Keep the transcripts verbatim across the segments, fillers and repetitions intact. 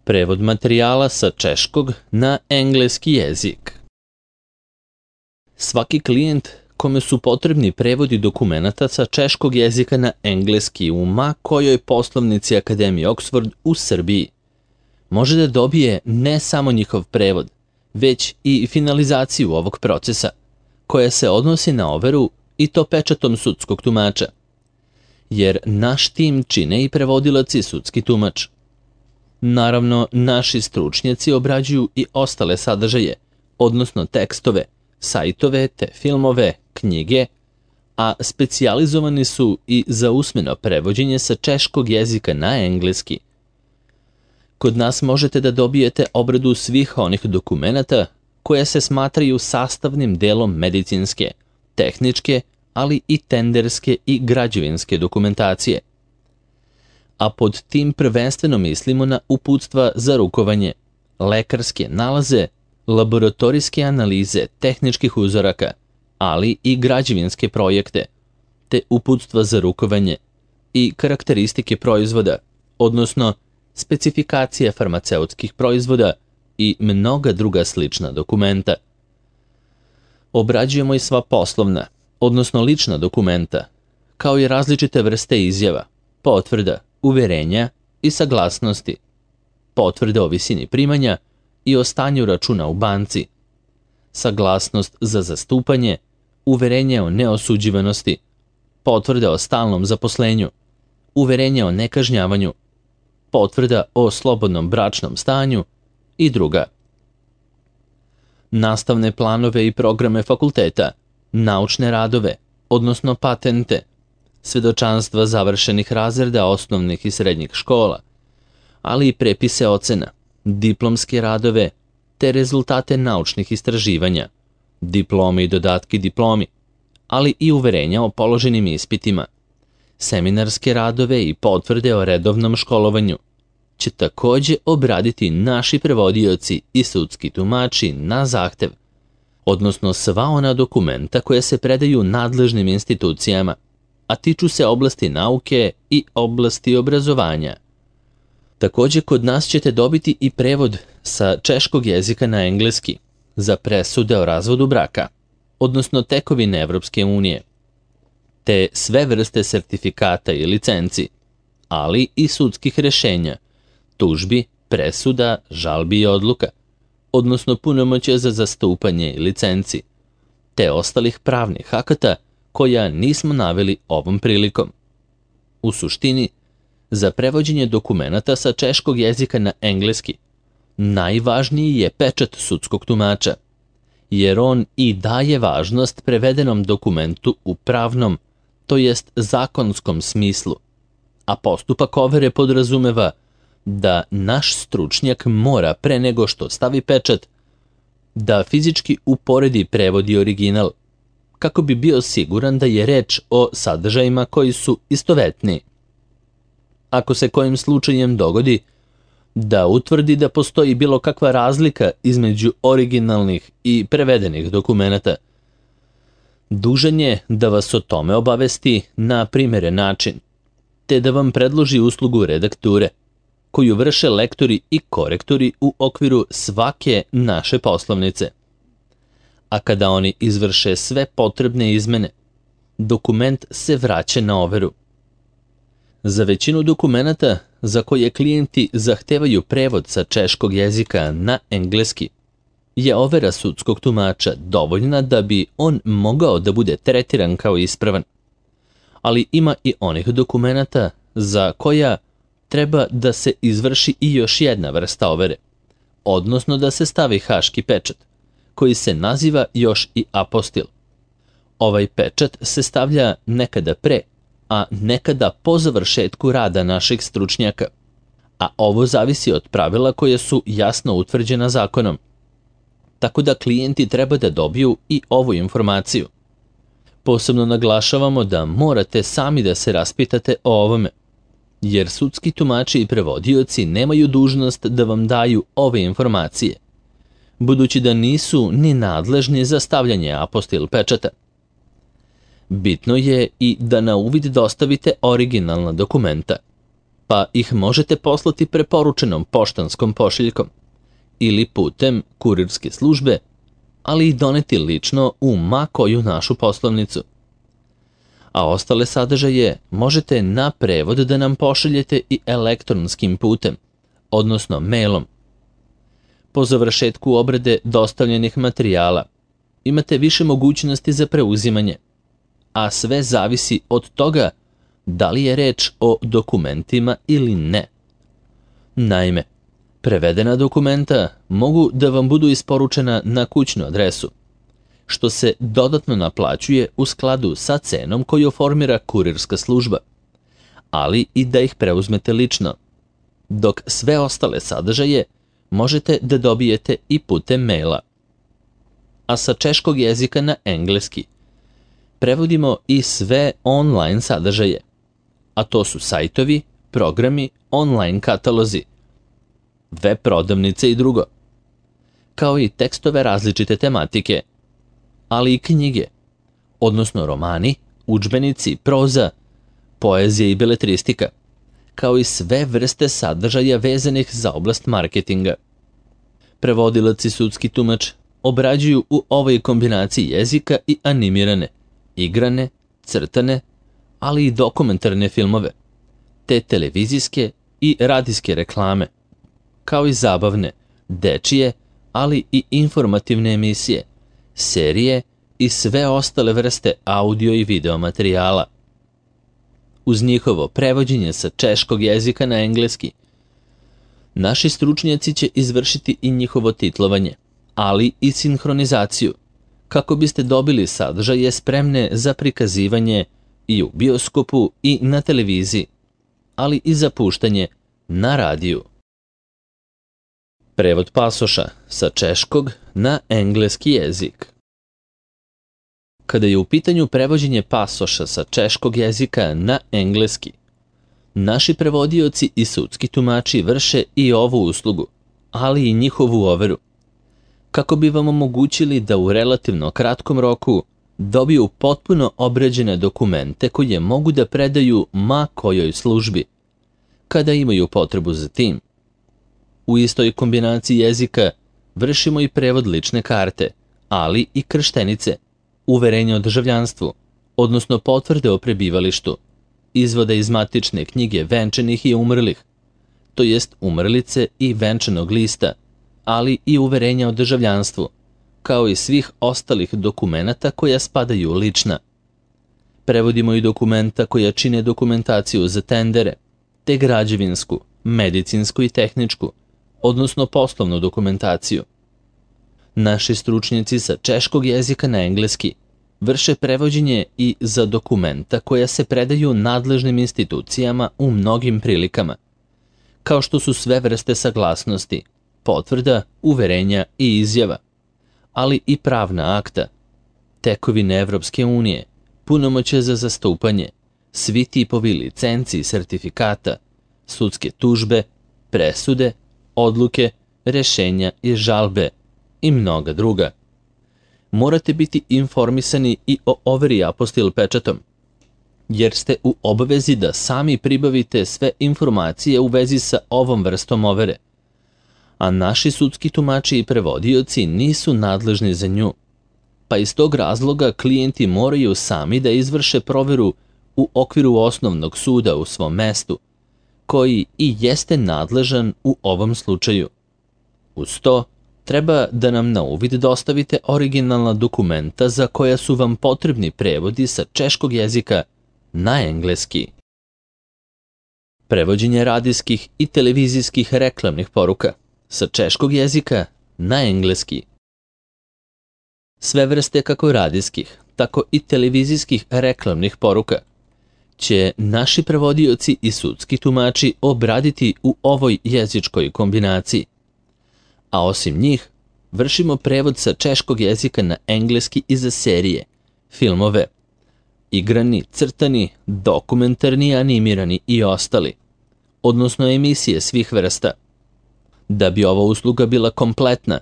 Prevod materijala sa češkog na engleski jezik. Svaki klijent kome su potrebni prevodi dokumenata sa češkog jezika na engleski u ma kojoj poslovnici Akademije Oxford u Srbiji može da dobije ne samo njihov prevod, već i finalizaciju ovog procesa, koja se odnosi na overu i to pečatom sudskog tumača. Jer naš tim čine i prevodilac i sudski tumač. Naravno, naši stručnjaci obrađuju i ostale sadržaje, odnosno tekstove, sajtove te filmove, knjige, a specijalizovani su i za usmeno prevođenje sa češkog jezika na engleski. Kod nas možete da dobijete obradu svih onih dokumenata koje se smatraju sastavnim delom medicinske, tehničke, ali i tenderske i građevinske dokumentacije. A pod tim prvenstveno mislimo na uputstva za rukovanje, lekarske nalaze, laboratorijske analize tehničkih uzoraka, ali i građevinske projekte, te uputstva za rukovanje i karakteristike proizvoda, odnosno specifikacije farmaceutskih proizvoda i mnoga druga slična dokumenta. Obrađujemo i sva poslovna, odnosno lična dokumenta, kao i različite vrste izjava, potvrda, uverenja i saglasnosti, potvrde o visini primanja i o stanju računa u banci, saglasnost za zastupanje, uverenje o neosuđivanosti, potvrde o stalnom zaposlenju, uverenje o nekažnjavanju, potvrda o slobodnom bračnom stanju i druga. Nastavne planove i programe fakulteta, naučne radove, odnosno patente, svedočanstva završenih razreda osnovnih i srednjih škola, ali i prepise ocena, diplomske radove, te rezultate naučnih istraživanja, diplome i dodatki diplomi, ali i uverenja o položenim ispitima, seminarske radove i potvrde o redovnom školovanju, će takođe obraditi naši prevodioci i sudski tumači na zahtev, odnosno sva ona dokumenta koje se predaju nadležnim institucijama, a tiču se oblasti nauke i oblasti obrazovanja. Takođe, kod nas ćete dobiti i prevod sa češkog jezika na engleski za presude o razvodu braka, odnosno tekovine Evropske unije, te sve vrste sertifikata i licenci, ali i sudskih rešenja, tužbi, presuda, žalbi i odluka, odnosno punomoćja za zastupanje i licenci, te ostalih pravnih akata koja nismo naveli ovom prilikom. U suštini, za prevođenje dokumenata sa češkog jezika na engleski najvažniji je pečat sudskog tumača, jer on i daje važnost prevedenom dokumentu u pravnom, to jest zakonskom smislu, a postupak overe podrazumeva da naš stručnjak mora pre nego što stavi pečat da fizički uporedi prevod i original, kako bi bio siguran da je reč o sadržajima koji su istovetni. Ako se kojim slučajem dogodi da utvrdi da postoji bilo kakva razlika između originalnih i prevedenih dokumenata, dužan je da vas o tome obavesti na primeren način, te da vam predloži uslugu redakture, koju vrše lektori i korektori u okviru svake naše poslovnice. A kada oni izvrše sve potrebne izmene, dokument se vraća na overu. Za većinu dokumenata za koje klijenti zahtevaju prevod sa češkog jezika na engleski, je overa sudskog tumača dovoljna da bi on mogao da bude tretiran kao ispravan. Ali ima i onih dokumenata za koja treba da se izvrši i još jedna vrsta overe, odnosno da se stavi haški pečat, koji se naziva još i apostil. Ovaj pečat se stavlja nekada pre, a nekada po završetku rada naših stručnjaka, a ovo zavisi od pravila koje su jasno utvrđena zakonom. Tako da klijenti treba da dobiju i ovu informaciju. Posebno naglašavamo da morate sami da se raspitate o ovome, jer sudski tumači i prevodioci nemaju dužnost da vam daju ove informacije, budući da nisu ni nadležni za stavljanje apostil pečata. Bitno je i da na uvid dostavite originalna dokumenta. pa ih možete poslati preporučenom poštanskom pošiljkom ili putem kurirske službe, ali i doneti lično u ma koju našu poslovnicu. A ostale sadržaje možete na prevod da nam pošaljete i elektronskim putem, odnosno mailom. Po završetku obrade dostavljenih materijala imate više mogućnosti za preuzimanje, a sve zavisi od toga da li je reč o dokumentima ili ne. Naime, prevedena dokumenta mogu da vam budu isporučena na kućnu adresu, što se dodatno naplaćuje u skladu sa cenom koju formira kurirska služba, ali i da ih preuzmete lično, dok sve ostale sadržaje možete da dobijete i putem maila. A sa češkog jezika na engleski prevodimo i sve online sadržaje, a to su sajtovi, programi, online katalozi, web prodavnice i drugo, kao i tekstove različite tematike, ali i knjige, odnosno romani, udžbenici, proza, poezija i beletristika, kao i sve vrste sadržaja vezanih za oblast marketinga. Prevodilac i sudski tumač obrađuju u ovoj kombinaciji jezika i animirane, igrane, crtane, ali i dokumentarne filmove, te televizijske i radijske reklame, kao i zabavne, dečije, ali i informativne emisije, serije i sve ostale vrste audio i video materijala. Uz njihovo prevođenje sa češkog jezika na engleski, naši stručnjaci će izvršiti i njihovo titlovanje, ali i sinhronizaciju, kako biste dobili sadržaje spremne za prikazivanje i u bioskopu i na televiziji, ali i za puštanje na radiju. Prevod pasoša sa češkog na engleski jezik. Kada je u pitanju prevođenje pasoša sa češkog jezika na engleski, naši prevodioci i sudski tumači vrše i ovu uslugu, ali i njihovu overu, kako bi vam omogućili da u relativno kratkom roku dobiju potpuno obrađene dokumente koje mogu da predaju ma kojoj službi, kada imaju potrebu za tim. U istoj kombinaciji jezika vršimo i prevod lične karte, ali i krštenice, uverenja o državljanstvu, odnosno potvrde o prebivalištu, izvoda iz matične knjige venčanih i umrlih, to jest umrlice i venčanog lista, ali i uverenja o državljanstvu, kao i svih ostalih dokumenata koja spadaju u lična. Prevodimo i dokumenta koja čine dokumentaciju za tendere, te građevinsku, medicinsku i tehničku, odnosno poslovnu dokumentaciju. Naši stručnjaci sa češkog jezika na engleski vrše prevođenje i za dokumenta koja se predaju nadležnim institucijama u mnogim prilikama, kao što su sve vrste saglasnosti, potvrda, uverenja i izjava, ali i pravna akta, tekovine Evropske unije, punomoćje za zastupanje, svi tipovi licenci i sertifikata, sudske tužbe, presude, odluke, rešenja i žalbe i mnoga druga. Morate biti informisani i o overi apostil pečatom, jer ste u obavezi da sami pribavite sve informacije u vezi sa ovom vrstom overe, a naši sudski tumači i prevodioci nisu nadležni za nju, pa iz tog razloga klijenti moraju sami da izvrše proveru u okviru osnovnog suda u svom mestu, koji i jeste nadležan u ovom slučaju. Uz to, treba da nam na uvid dostavite originalna dokumenta za koja su vam potrebni prevodi sa češkog jezika na engleski. Prevođenje radijskih i televizijskih reklamnih poruka sa češkog jezika na engleski. Sve vrste kako radijskih, tako i televizijskih reklamnih poruka će naši prevodioci i sudski tumači obraditi u ovoj jezičkoj kombinaciji. A osim njih, vršimo prevod sa češkog jezika na engleski i za serije, filmove, igrani, crtani, dokumentarni, animirani i ostali, odnosno emisije svih vrsta. Da bi ova usluga bila kompletna,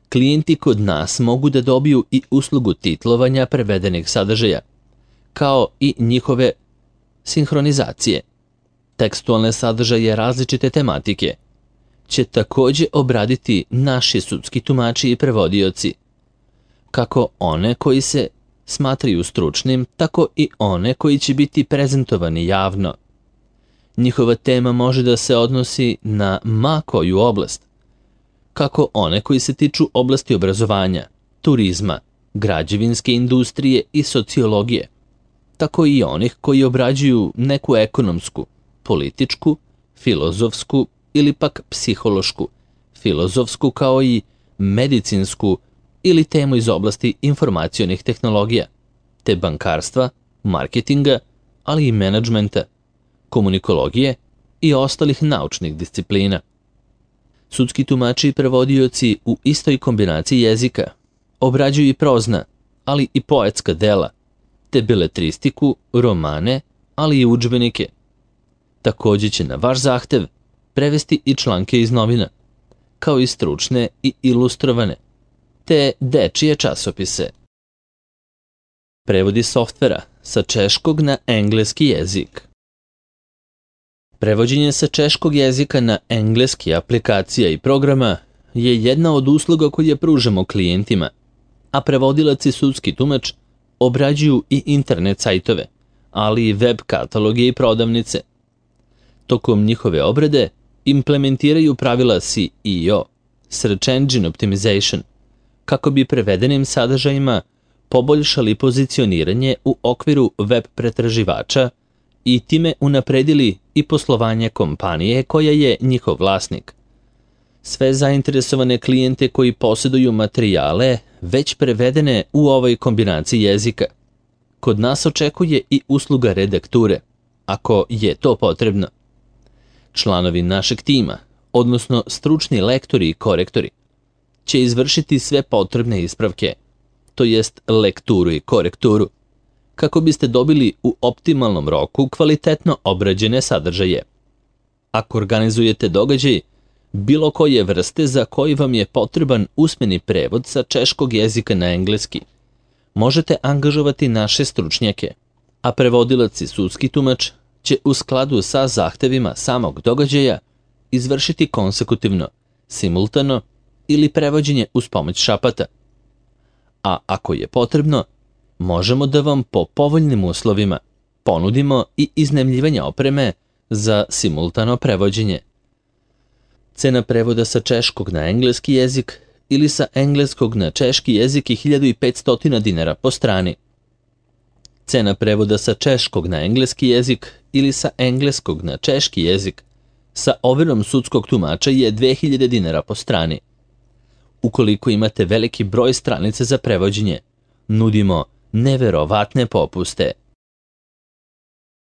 klijenti kod nas mogu da dobiju i uslugu titlovanja prevedenih sadržaja, kao i njihove sinhronizacije. tekstualne sadržaje različite tematike će također obraditi naši sudski tumači i prevodioci, kako one koji se smatraju stručnim, tako i one koji će biti prezentovani javno. Njihova tema može da se odnosi na ma koju oblast, kako one koji se tiču oblasti obrazovanja, turizma, građevinske industrije i sociologije, tako i onih koji obrađuju neku ekonomsku, političku, filozofsku ili pak psihološku, filozofsku kao i medicinsku ili temu iz oblasti informacionih tehnologija, te bankarstva, marketinga, ali i menadžmenta, komunikologije i ostalih naučnih disciplina. Sudski tumači i prevodioci u istoj kombinaciji jezika obrađuju i prozna, ali i poetska dela, te beletristiku, romane, ali i udžbenike. Također će na vaš zahtev prevesti i članke iz novina, kao i stručne i ilustrovane, te dečije časopise. Prevodi softvera sa češkog na engleski jezik. Prevođenje sa češkog jezika na engleski aplikacija i programa je jedna od usluga koje pružamo klijentima, a prevodilac i sudski tumač obrađuju i internet sajtove, ali i web kataloge i prodavnice. Tokom njihove obrade implementiraju pravila S E O, Search Engine Optimization, kako bi prevedenim sadržajima poboljšali pozicioniranje u okviru web pretraživača i time unapredili i poslovanje kompanije koja je njihov vlasnik. Sve zainteresovane klijente koji posjeduju materijale već prevedene u ovoj kombinaciji jezika. Kod nas očekuje i usluga redakture, ako je to potrebno. Članovi našeg tima, odnosno stručni lektori i korektori, će izvršiti sve potrebne ispravke, to jest lekturu i korekturu, kako biste dobili u optimalnom roku kvalitetno obrađene sadržaje. Ako organizujete događaj bilo koje vrste za koji vam je potreban usmeni prevod sa češkog jezika na engleski, možete angažovati naše stručnjake, a prevodilac i sudski tumač će u skladu sa zahtevima samog događaja izvršiti konsekutivno, simultano ili prevođenje uz pomoć šapata. A ako je potrebno, možemo da vam po povoljnim uslovima ponudimo i iznajmljivanje opreme za simultano prevođenje. Cena prevoda sa češkog na engleski jezik ili sa engleskog na češki jezik je hiljadu petsto dinara po strani. Cena prevoda sa češkog na engleski jezik ili sa engleskog na češki jezik sa overom sudskog tumača je dve hiljade dinara po strani. Ukoliko imate veliki broj stranica za prevođenje, nudimo neverovatne popuste.